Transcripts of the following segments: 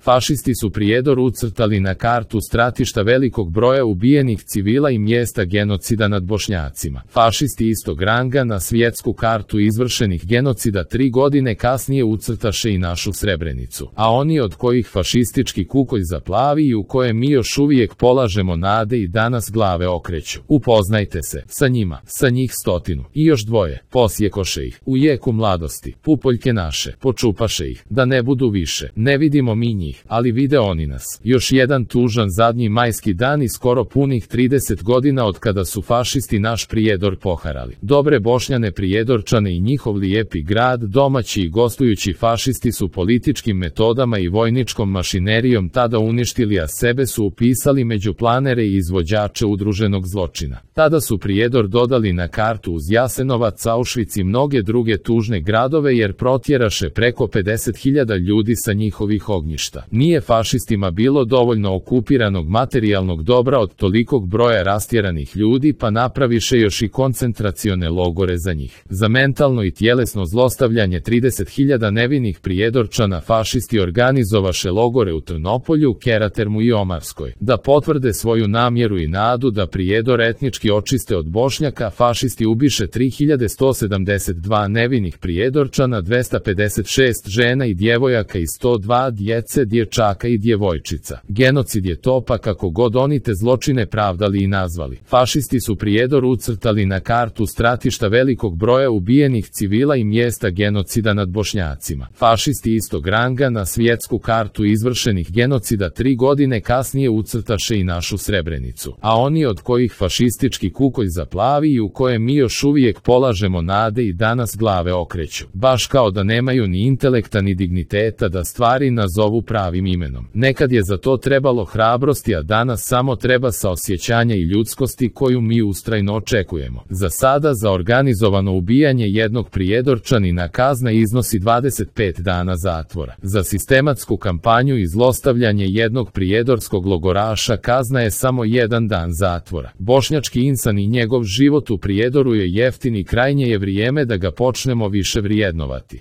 Fašisti su Prijedor ucrtali na kartu stratišta velikog broja ubijenih civila i mjesta genocida nad Bošnjacima. Fašisti istog ranga na svjetsku kartu izvršenih genocida 3 godine kasnije ucrtaše i našu Srebrenicu, a oni od kojih fašistički kukolj zaplavi i u koje mi još uvijek polažemo nade i danas glave okreću. Upoznajte se sa njima, sa njih 100 i još 2, posjekoše ih, u jeku mladosti, pupoljke naše, počupaše ih, da ne budu više. Ne vidimo mi njih, ali vide oni nas. Još jedan tužan zadnji majski dan i skoro punih 30 godina od kada su fašisti naš Prijedor poharali. Dobre Bošnjane Prijedorčane i njihov lijepi grad, domaći i gostujući fašisti su političkim metodama i vojničkom mašinerijom tada uništili, a sebe su upisali među planere i izvođače udruženog zločina. Tada su Prijedor dodali na kartu uz Jasenovac, Auschwitz i mnoge druge tužne gradove jer protjeraše preko 50.000 ljudi sa njihovih ognjišta. Nije fašistima bilo dovoljno okupiranog materijalnog dobra od tolikog broja rastjeranih ljudi, pa napraviše još i koncentracione logore za njih. Za mentalno i tjelesno zlostavljanje 30.000 nevinih Prijedorčana fašisti organizovaše logore u Trnopolju, Keratermu i Omarskoj. Da potvrde svoju namjeru i nadu da Prijedor etnički očiste od Bošnjaka, fašisti ubiše 3172 nevinih Prijedorčana, 256 žena i djevojaka i 102 djece, dječaka i djevojčica. Genocid je to, pa kako god oni te zločine pravdali i nazvali. Fašisti su Prijedor ucrtali na kartu stratišta velikog broja ubijenih civila i mjesta genocida nad Bošnjacima. Fašisti istog ranga na svjetsku kartu izvršenih genocida 3 godine kasnije ucrtaše i našu Srebrenicu, a oni od kojih fašistički kukolj zaplavi i u koje mi još uvijek polažemo nade i danas glave okreću. Baš kao da nemaju ni intelekta ni digniteta da stvari nazovu pravim imenom. Nekad je za to trebalo hrabrosti, a danas samo treba saosjećanja i ljudskosti koju mi ustrajno očekujemo. Za sada za organizovano ubijanje jednog Prijedorčanina kazna iznosi 25 dana zatvora. Za sistematsku kampanju i zlostavljanje jednog prijedorskog logoraša kazna je samo 1 dan zatvora. Bošnjački insan i njegov život u Prijedoru je jeftin i krajnje je vrijeme da ga počnemo više vrijednovati.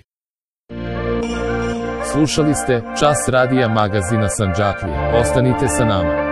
Slušali ste Čas radija magazina Sandžaklija. Ostanite sa nama.